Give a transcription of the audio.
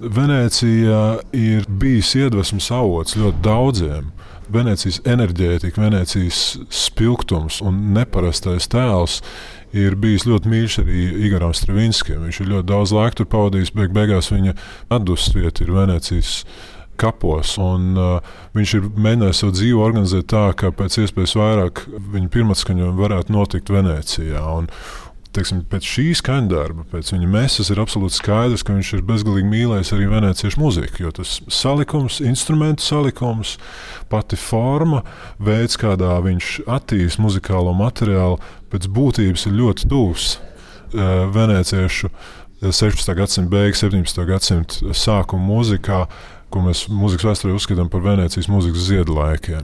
Venēcija ir bijis iedvesmas avots ļoti daudziem. Venēcijas enerģētika, Venēcijas spilgtums un neparastais tēls ir bijis ļoti mīļš arī Igoram Stravinskim. Viņš ir ļoti daudz laika tur pavadījis, beigās viņa atdusvieta ir Venēcijas kapos. Viņš ir mēģinājis savu dzīvi organizēt tā, ka pēc iespējas vairāk viņa pirmatskaņojumi varētu notikt Venēcijā. Teiksim, pēc šī skaņdarba, pēc viņa mesas ir absolūti skaidrs, ka viņš ir bezgalīgi mīlējis arī venēciešu muziku, jo tas salikums, instrumentu salikums, pati forma, veids, kādā viņš attīst muzikālo materiālu, pēc būtības ir ļoti tuvs venēciešu 16. gadsimta beigas, 17. gadsimta sākuma mūzikā, ko mēs mūzikas vēsturē uzskatām par Venēcijas mūzikas ziedlaikiem.